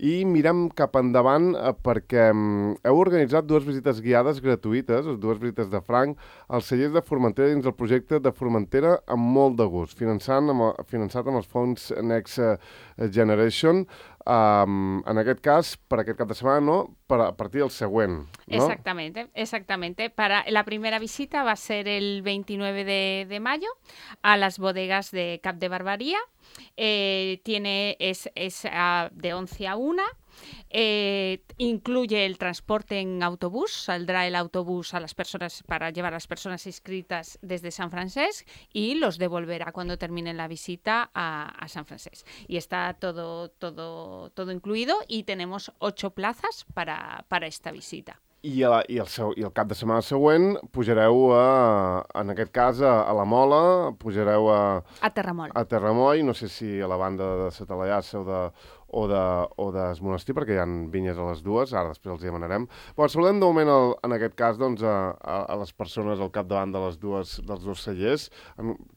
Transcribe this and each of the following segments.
i mirem cap endavant perquè heu organitzat 2 visites guiades gratuïtes, 2 visites de franc, als cellers de Formentera dins del projecte de Formentera amb molt de gust, finançat amb els fons Next Generation. En aquest cas, per aquest cap de setmana, no, a partir del següent, ¿no? Exactamente. La primera visita va a ser el 29 de mayo a las bodegas de Cap de Barbaría. Es de 11 a 1. Incluye el transporte en autobús, saldrá el autobús a las personas para llevar a las personas inscritas desde San Francesc y los devolverá cuando terminen la visita a San Francesc. Y está todo incluido y tenemos 8 plazas para esta visita. I el cap de setmana següent pujareu, en aquest cas, a la Mola, pujareu a Terramol. A Terramol, no sé si a la banda de Satalaiassa o d'Es Monestir, perquè hi ha vinyes a les dues, ara després els hi demanarem. Però saludem de moment, en aquest cas, doncs, a les persones al capdavant dels dos cellers.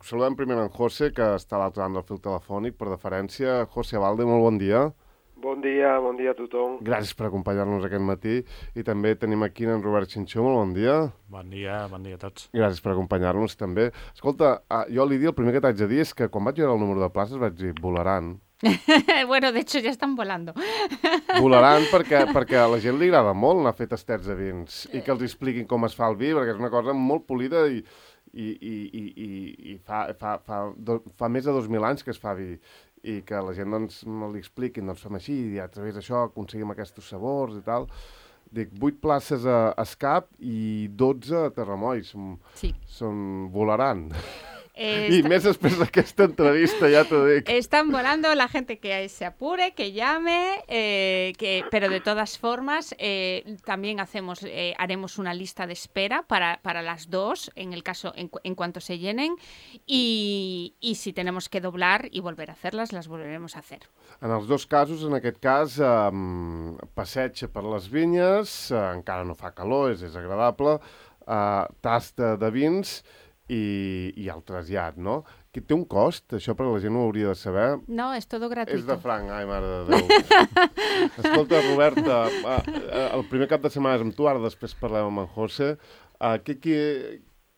Saludem primer en José, que està a l'altre banda del fil telefònic, per deferència. José Abalde, molt bon dia. Bon dia a tothom. Gràcies per acompanyar-nos aquest matí. I també tenim aquí en Robert Xinxó, molt bon dia. Bon dia a tots. Gràcies per acompanyar-nos també. Escolta, jo Lídia, el primer que t'haig de dir és que quan vaig veure el número de places vaig dir, volaran. Bueno, de hecho ya están volando. Volaran perquè a la gent li agrada molt anar a fer tastets de vins i que els expliquin com es fa el vi, perquè és una cosa molt polida i fa més de 2.000 anys que es fa vi. I que la gent doncs li expliquin, doncs fem així, i a través d'això aconseguim aquests sabors i tal. Dic, 8 places a Escap i 12 a Terramolls. Sí. Volaran. Y més després d'aquesta entrevista, ya te digo. Están volando, la gente que se apure, que llame, pero de todas formas también haremos una lista de espera para las dos, en el caso, en cuanto se llenen, y si tenemos que doblar y volver a hacerlas, las volveremos a hacer. En els dos casos, en aquest cas, passeig per les vinyes, encara no fa calor, és agradable, tasta de vins, i el trasllat, no? Que té un cost, això per la gent ho hauria de saber. No, és tot gratuït. És de franc, ai, mare de Déu. Escolta, Roberta, el primer cap de setmana és amb tu, ara després parlem amb en José.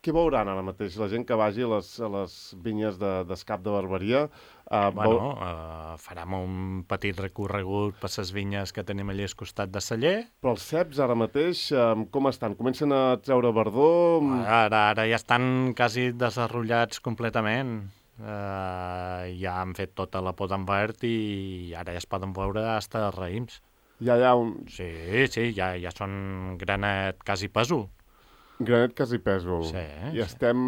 Què veuran ara mateix la gent que vagi a les vinyes d'Escap de Barbaria? Farem un petit recorregut per les vinyes que tenim allà al costat de celler. Però els ceps ara mateix, com estan? Comencen a treure verdor? Ara ja estan quasi desenrotllats completament. Ja han fet tota la poda en verd i ara ja es poden veure fins als raïms. Ja hi ha un... Sí, ja són granet quasi peso. Granet quasi peso. Sí. I estem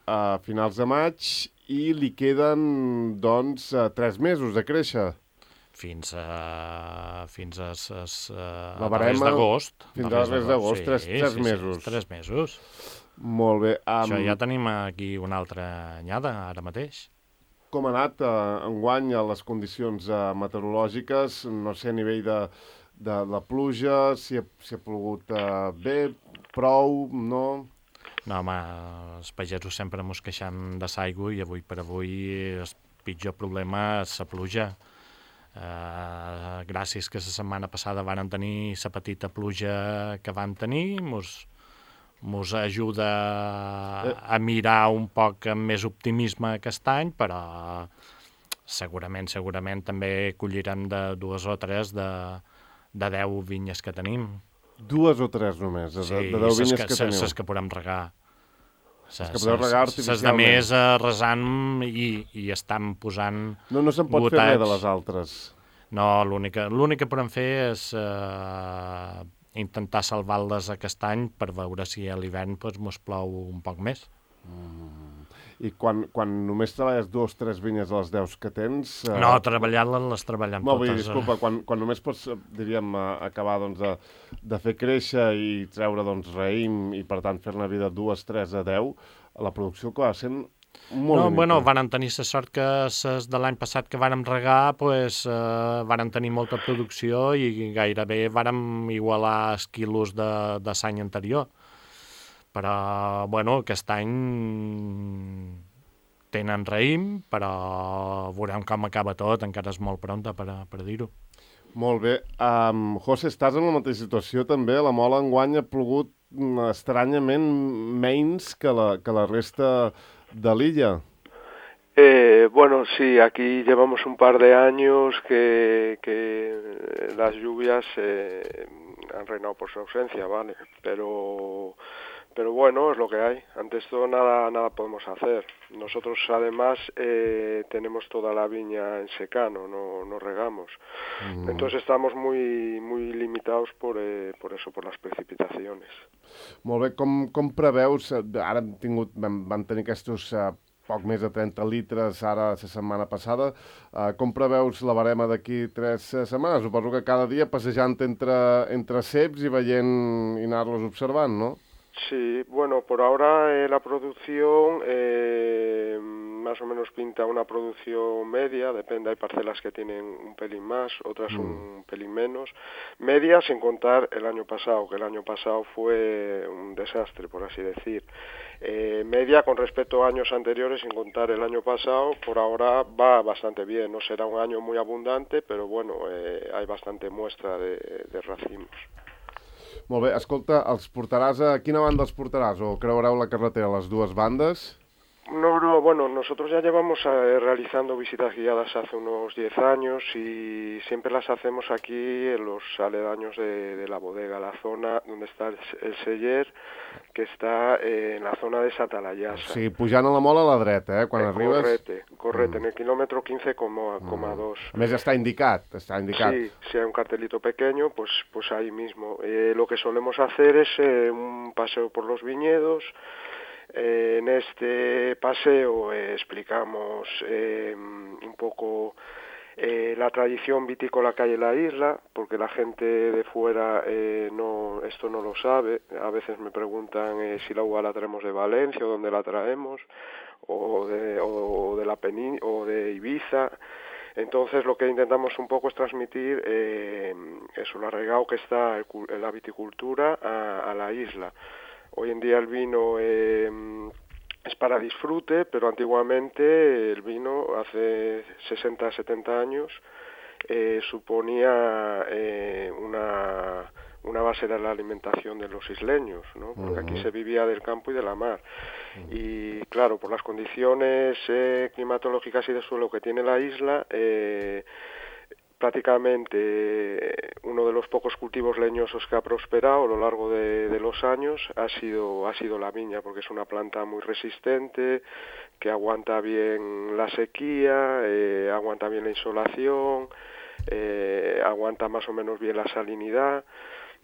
a finals de maig i li queden, doncs, 3 mesos de créixer. Fins a mes d'agost. Fins a mes d'agost, 3 mesos. 3 mesos. Molt bé. Això ja tenim aquí una altra anyada, ara mateix. Com ha anat enguany a les condicions meteorològiques? No sé, a nivell de la pluja, si ha plogut bé, prou, no? No, home, els pagesos sempre mos queixem de l'aigua i avui per avui el pitjor problema és la pluja. Gràcies que la setmana passada vàrem tenir la petita pluja que vam tenir, mos ajuda a mirar un poc amb més optimisme aquest any, però segurament també collirem de 2 o 3 de 10 vinyes que tenim. 2 o 3 només, de 10 vinyes que teniu. Sí, les que podem regar. Les que podeu regar artificialment. Les de més resant i estan posant gotets. No se'n pot fer res de les altres. No, l'únic que podem fer és intentar salvar-les aquest any per veure si a l'hivern mos plou un poc més. I quan només treballes 2 o 3 vinyes a les 10 que tens... No, treballant-les les treballem totes. Disculpa, quan només pots, diríem, acabar de fer créixer i treure raïm i, per tant, fer-ne vida 2, 3 a 10, la producció que va sent molt limitada. Bueno, vàrem tenir la sort que de l'any passat que vàrem regar, vàrem tenir molta producció i gairebé vàrem igualar els quilos de l'any anterior. Però, bueno, aquest any tenen raïm, però veurem com acaba tot, encara és molt pronta per dir-ho. Molt bé. José, estàs en la mateixa situació també? La Mola enguany ha plogut estranyament menys que la resta de l'illa. Bueno, sí, aquí llevamos un par de años que las lluvias han reinado por su ausencia, ¿vale? Pero bueno, es lo que hay. Ante esto nada podemos hacer. Nosotros además tenemos toda la viña en secano, no regamos. Entonces estamos muy limitados por eso, por las precipitaciones. Molt bé, com preveus, ara vam tenir aquests poc més de 30 litres ara la setmana passada, com preveus la barema d'aquí 3 setmanes? Suposo que cada dia passejant entre ceps i veient i anar-los observant, no? Sí, bueno, por ahora la producción más o menos pinta una producción media, depende, hay parcelas que tienen un pelín más, otras un pelín menos, media sin contar el año pasado, que el año pasado fue un desastre, por así decir. Media con respecto a años anteriores, sin contar el año pasado, por ahora va bastante bien, no será un año muy abundante, pero bueno, hay bastante muestra de racimos. Molt bé, escolta, els portaràs a quina banda els portaràs? O creureu la carretera a les dues bandes? No, bueno, nosotros ya llevamos realizando visitas guiadas hace unos 10 años y siempre las hacemos aquí en los aledaños de la bodega, la zona donde está el celler, que está en la zona de Satalayasa. Sí, pujant a la Mola a la dreta, quan arribes... Correcte, en el kilómetro 15,2. A més, està indicat. Sí, si hay un cartelito pequeño, pues ahí mismo. Lo que solemos hacer es un paseo por los viñedos. En este paseo explicamos un poco la tradición vitícola que hay en la isla, porque la gente de fuera esto no lo sabe. A veces me preguntan si la uva la traemos de Valencia o dónde la traemos, o de Ibiza. Entonces lo que intentamos un poco es transmitir eso, lo arraigado que está en la viticultura a la isla. Hoy en día el vino es para disfrute, pero antiguamente el vino, hace 60, 70 años, suponía una base de la alimentación de los isleños, ¿no? Porque aquí se vivía del campo y de la mar. Y claro, por las condiciones climatológicas y de suelo que tiene la isla, prácticamente uno de los pocos cultivos leñosos que ha prosperado a lo largo de los años ha sido la viña, porque es una planta muy resistente, que aguanta bien la sequía, aguanta bien la insolación, aguanta más o menos bien la salinidad.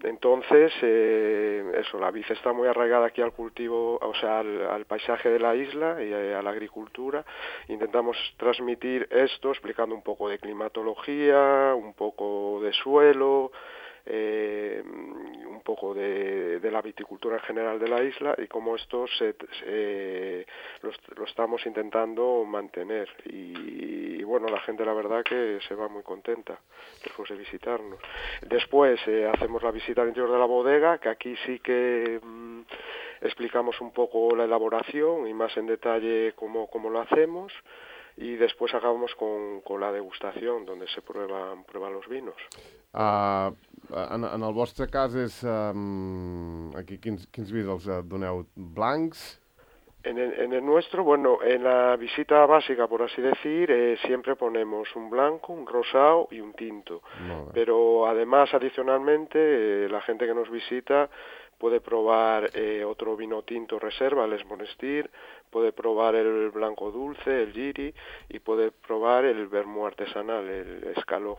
Entonces, eso, la vid está muy arraigada aquí al cultivo, o sea, al paisaje de la isla y a la agricultura. Intentamos transmitir esto explicando un poco de climatología, un poco de suelo, un poco de la viticultura en general de la isla y cómo esto lo estamos intentando mantener. Y bueno, la gente la verdad que se va muy contenta después de visitarnos. Después hacemos la visita al interior de la bodega, que aquí sí que explicamos un poco la elaboración y más en detalle cómo lo hacemos. Y después acabamos con la degustación, donde se prueban los vinos. En el vostre cas és... aquí quins vins els doneu? Blancs? En el nuestro, bueno, en la visita básica, por así decir, siempre ponemos un blanco, un rosado y un tinto. Pero además, adicionalmente, la gente que nos visita puede probar otro vino tinto reserva, el Esmonestir, puede probar el blanco dulce, el Giri, y puede probar el vermú artesanal, el Escaló.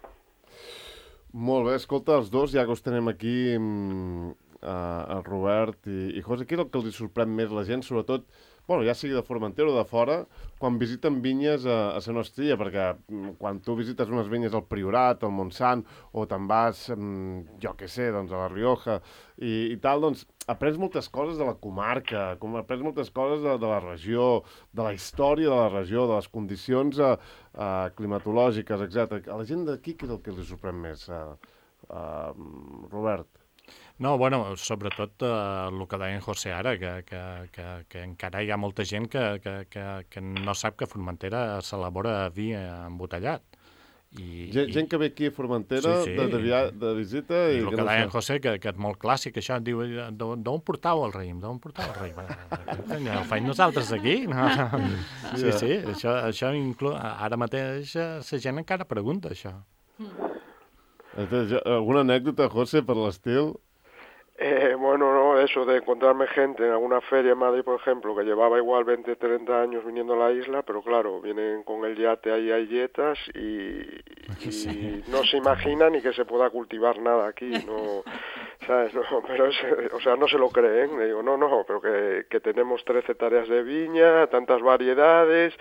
Molt bé, escolta, els dos, ja que us tenem aquí, el Robert i José, què és el que els sorprèn més la gent, sobretot, bueno, ja sigui de Formentera o de fora, quan visiten vinyes a la nostra illa, perquè quan tu visites unes vinyes al Priorat, al Montsant, o te'n vas, jo què sé, doncs a la Rioja i tal, doncs aprens moltes coses de la comarca, aprens moltes coses de la regió, de la història de la regió, de les condicions climatològiques, etc. A la gent d'aquí, què és el que els sorprèn més, Robert? No, bueno, sobretot el que deia en José ara, que encara hi ha molta gent que no sap que a Formentera s'elabora vi embotellat. Gent que ve aquí a Formentera de visita i el que deia en José, que és molt clàssic, això, diu, d'on portau el raïm? D'on portau el raïm? Ho faig nosaltres aquí? Sí, això ara mateix la gent encara pregunta, això. ¿Alguna anécdota, José, por el estilo? Bueno, no, eso de encontrarme gente en alguna feria en Madrid, por ejemplo, que llevaba igual 20, 30 años viniendo a la isla, pero claro, vienen con el yate ahí a yetas y no se imaginan ni que se pueda cultivar nada aquí, no, ¿sabes? No, pero no se lo creen, le digo, no, pero que tenemos 13 hectáreas de viña, tantas variedades,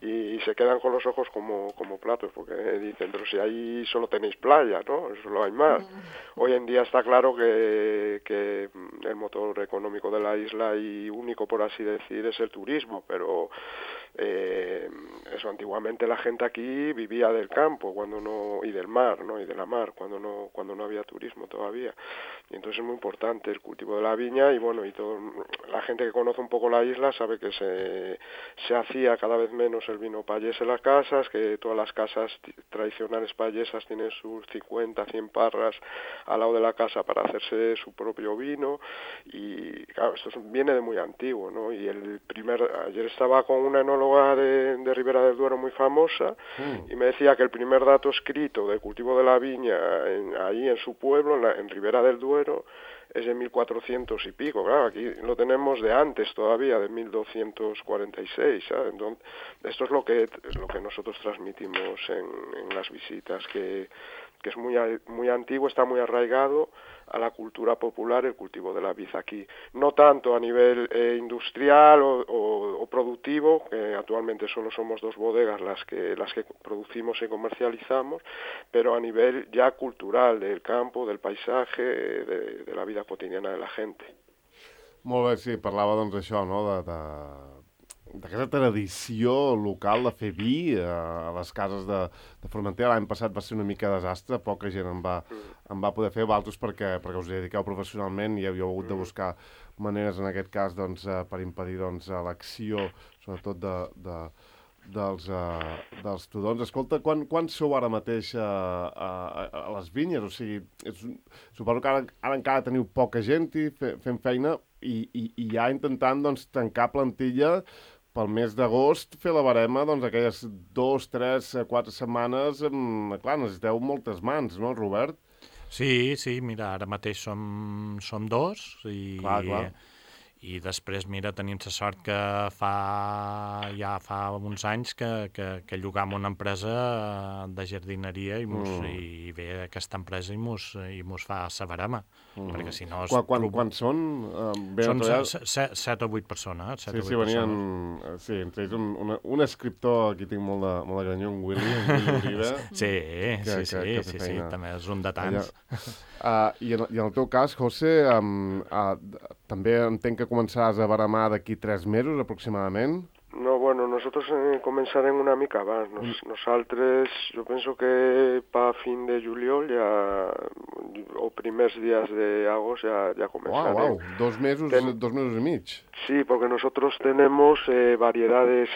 y se quedan con los ojos como platos, porque dicen, pero si ahí solo tenéis playa, ¿no? Solo hay mar. Hoy en día está claro que el motor económico de la isla y único, por así decir, es el turismo, pero eso, antiguamente la gente aquí vivía del campo y del mar, ¿no? Y de la mar, cuando no había turismo todavía. Y entonces es muy importante el cultivo de la viña y bueno, y todo, la gente que conoce un poco la isla sabe que se hacía cada vez menos el vino payés en las casas, que todas las casas tradicionales payesas tienen sus 50, 100 parras al lado de la casa para hacerse su propio vino y claro, esto viene de muy antiguo, ¿no? Y ayer estaba con una enóloga de Ribera del Duero muy famosa y me decía que el primer dato escrito de cultivo de la viña ahí en su pueblo, en Ribera del Duero, es de 1400 y pico, claro, aquí lo tenemos de antes todavía, de 1246, ¿sabes? Entonces, esto es lo que nosotros transmitimos en las visitas, que es muy antiguo, está muy arraigado a la cultura popular el cultivo de la vid aquí. No tanto a nivel industrial o productivo, que actualmente solo somos 2 bodegas las que producimos y comercializamos, pero a nivel ya cultural, del campo, del paisaje, de la vida quotidiana de la gente. Molt bé, sí, parlava doncs això, no?, d'aquesta tradició local de fer vi a les cases de Formentera. L'any passat va ser una mica desastre, poca gent en va poder fer, altres perquè us dediqueu professionalment i heu hagut de buscar maneres, en aquest cas, doncs, per impedir l'acció, sobretot dels tudons. Escolta, quan sou ara mateix a les vinyes? O sigui, suposo que ara encara teniu poca gent fent feina i ja intentant doncs, tancar plantilla pel mes d'agost, fer la barema, doncs, aquelles 2, 3, 4 setmanes, clar, necessiteu moltes mans, no, Robert? Sí, mira, ara mateix som 2 i... Clar. I després, mira, tenim la sort que ja fa uns anys que llogam una empresa de jardineria i ve aquesta empresa i mos fa la barema, perquè si no... Quan són? Són 7 o 8 persones. Sí, venien... Sí, entre ells un escriptor, aquí tinc molt de granyó, en Willy Oliva. Sí, també és un de tants. I en el teu cas, José, també entenc que començaràs a baremar d'aquí 3 mesos, aproximadament? No, bueno, nosotros comenzarem una mica abans. Nosaltres, jo penso que pa fin de juliol o primers días de agost ya comenzarem. Wow, 2 mesos y mig. Sí, porque nosotros tenemos variedades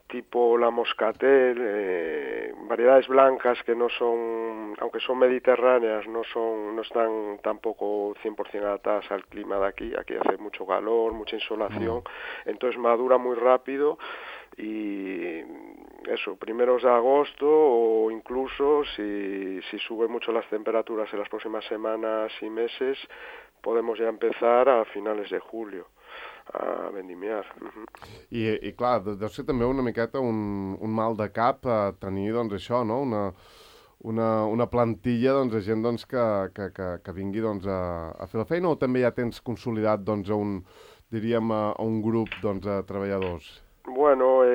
tipo la moscatel, variedades blancas que no son, aunque son mediterráneas, no están tampoco 100% adaptadas al clima de aquí. Aquí hace mucho calor, mucha insolación, entonces madura muy rápido y eso, primeros de agosto o incluso si suben mucho las temperaturas en las próximas semanas y meses, podemos ya empezar a finales de julio a vendimiar. I clar, deu ser també una miqueta un mal de cap tenir, doncs, això, no? Una plantilla, doncs, de gent doncs, que vingui doncs, a fer la feina, o també ja tens consolidat doncs, a un grup doncs, de treballadors? Bueno,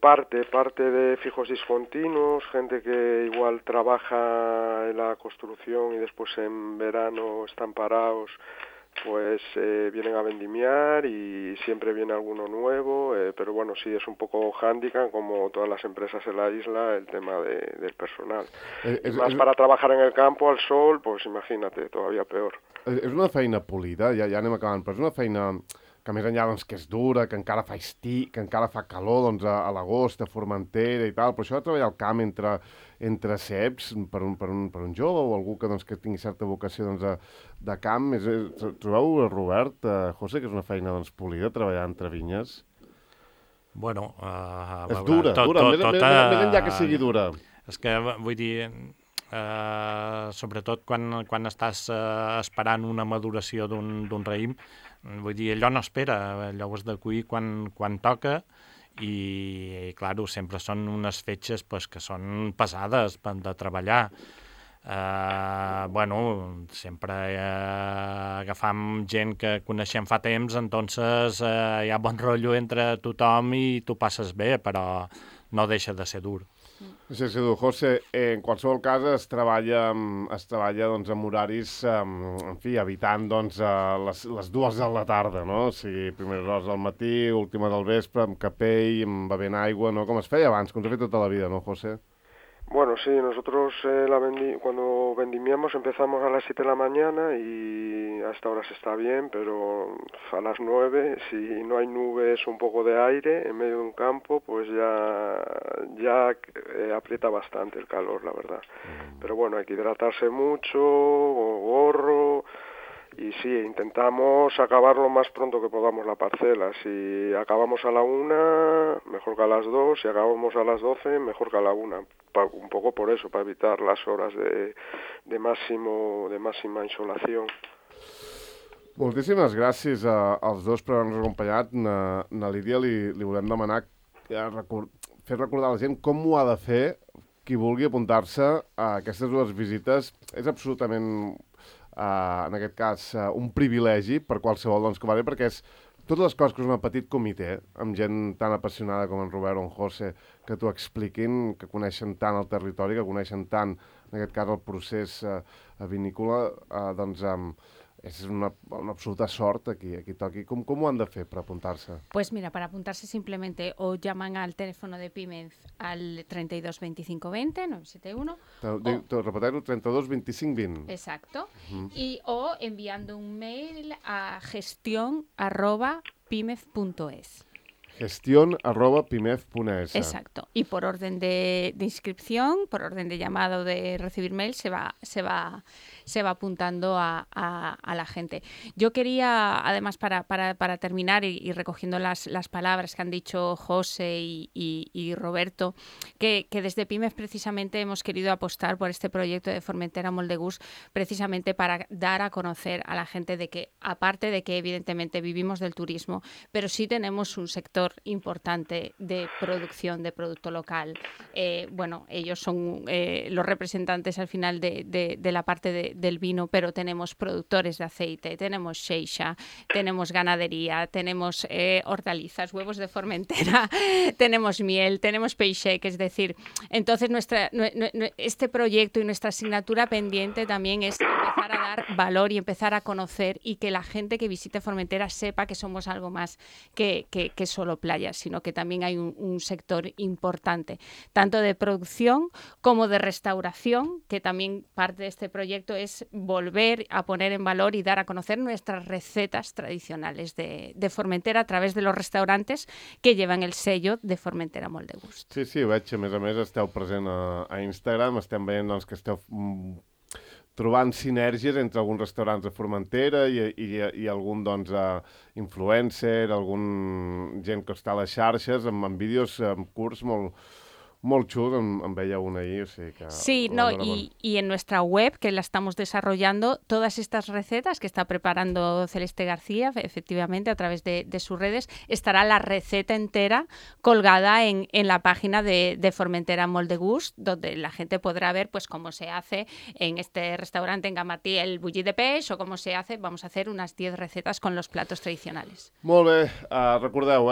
parte de fijos discontinuos, gente que igual trabaja en la construcción y después en verano están parados, pues vienen a vendimiar y siempre viene alguno nuevo, pero bueno, sí es un poco hándicap, como todas las empresas en la isla, el tema del personal. Más para trabajar en el campo, al sol, pues imagínate, todavía peor. És una feina polida, ja anem acabant, però és una feina que més enllà doncs, que és dura, que encara fa que encara fa calor doncs, a l'agost, a Formentera i tal, però això de treballar al camp entre ceps per un jove o algú que, doncs, que tingui certa vocació doncs, de camp, trobeu, Robert, José, que és una feina doncs, polida, treballar entre vinyes? Bueno, és dura, més enllà que sigui dura. És que, vull dir, sobretot quan estàs esperant una maduració d'un raïm, vull dir, allò no espera, allò ho has de cuir quan toca, i clar, sempre són unes fetges pues, que són pesades de treballar. Bueno, sempre agafam gent que coneixem fa temps, entonces hi ha bon rotllo entre tothom i tu passes bé, però no deixa de ser dur. Sí, José, en qualsevol cas es treballa doncs, amb horaris, en fi, evitant doncs, les 2 de la tarda, no? O sigui, primeres hores del matí, última del vespre, amb capell, amb bevent aigua, no? Com es feia abans, com s'ha fet tota la vida, no, José? Bueno, sí, nosotros cuando vendimiamos empezamos a las 7 de la mañana y hasta ahora se está bien, pero a las 9, si no hay nubes, un poco de aire en medio de un campo, pues ya aprieta bastante el calor, la verdad. Pero bueno, hay que hidratarse mucho, gorro. Y sí, intentamos acabar lo más pronto que podamos la parcela. Si acabamos a la 1, mejor que a las 2. Si acabamos a las 12, mejor que a la 1. Un poco por eso, para evitar las horas de máxima insolación. Moltíssimes gràcies als dos per haver-nos acompanyat. Na Lídia li volem demanar fer recordar a la gent com ho ha de fer qui vulgui apuntar-se a aquestes 2 visites. És absolutament... en aquest cas, un privilegi per qualsevol doncs, que va bé, perquè és totes les coses que és un petit comitè, amb gent tan apassionada com en Robert o en José, que t'ho expliquin, que coneixen tant el territori, que coneixen tant, en aquest cas, el procés vinícola, doncs és una absoluta sort aquí toqui. Com ho han de fer per apuntar-se? Pues mira, para apuntarse simplemente o llaman al teléfono de Pimez al 32 25 20 971. Repetir-ho, 32 25 20. Exacto. O enviando un mail a gestión@pimez.es. gestión@pimez.es. Exacto. Y por orden de inscripción, por orden de llamado de recibir mail, se va apuntando a la gente. Yo quería, además, para terminar y recogiendo las palabras que han dicho José y Roberto, que desde Pimez precisamente hemos querido apostar por este proyecto de Formentera Moldegust, precisamente para dar a conocer a la gente de que, aparte de que evidentemente vivimos del turismo, pero sí tenemos un sector importante de producción de producto local. Bueno, ellos son los representantes al final de la parte del vino, pero tenemos productores de aceite, tenemos xeixa, tenemos ganadería, tenemos hortalizas, huevos de Formentera, tenemos miel, tenemos peixec, es decir, entonces este proyecto y nuestra asignatura pendiente también es empezar a dar valor y empezar a conocer, y que la gente que visite Formentera sepa que somos algo más que solo playas, sino que también hay un sector importante, tanto de producción como de restauración, que también parte de este proyecto es volver a poner en valor y dar a conocer nuestras recetas tradicionales de Formentera a través de los restaurantes que llevan el sello de Formentera Moldegust. Sí, ho veig. A més, esteu present a Instagram, estem veient doncs, que esteu trobant sinergies entre alguns restaurants de Formentera i algun doncs, influencer, algun gent que està a les xarxes, amb vídeos curts molt xuls, em veia un ahí. O sigui que sí, no, y en nuestra web, que la estamos desarrollando, todas estas recetas que está preparando Celeste García, efectivamente, a través de sus redes, estará la receta entera colgada en la página de Formentera Moldegust, donde la gente podrá ver pues cómo se hace en este restaurante en Gamartí el bullit de peix, o cómo se hace, vamos a hacer unas 10 recetas con los platos tradicionales. Molt bé, recordeu,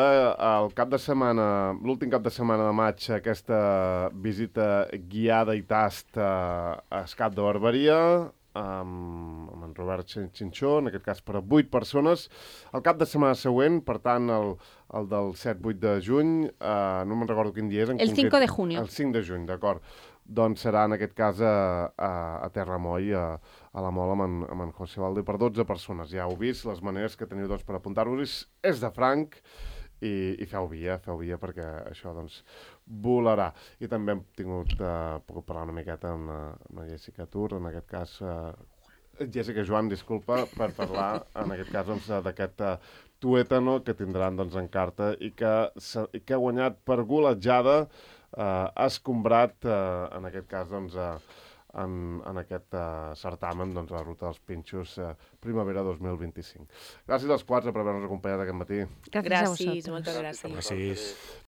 l'últim cap de setmana de maig, aquesta visita guiada i tast a Escat de Barberia amb en Robert Xinxó, en aquest cas per a 8 persones. El cap de setmana següent, per tant, el del 7-8 de juny, no me'n recordo quin dia és. El 5 de junio. El 5 de juny, d'acord. doncs serà en aquest cas a Terramoll, a la Mol amb en José Valde, per 12 persones. Ja heu vist les maneres que teniu doncs, per apuntar-vos. És de franc i feu via perquè això doncs volarà. I també hem tingut, puc parlar una miqueta amb la Jessica Tur, en aquest cas Jessica Joan, disculpa, per parlar en aquest cas doncs, d'aquest tuétano que tindran doncs, en carta i que ha guanyat per golejada, ha escombrat en aquest cas doncs, en aquest certamen doncs, la ruta dels Pinxos Primavera 2025. Gràcies als quatre per haver-nos acompanyat aquest matí. Gràcies a vosaltres. Moltes gràcies. Gràcies.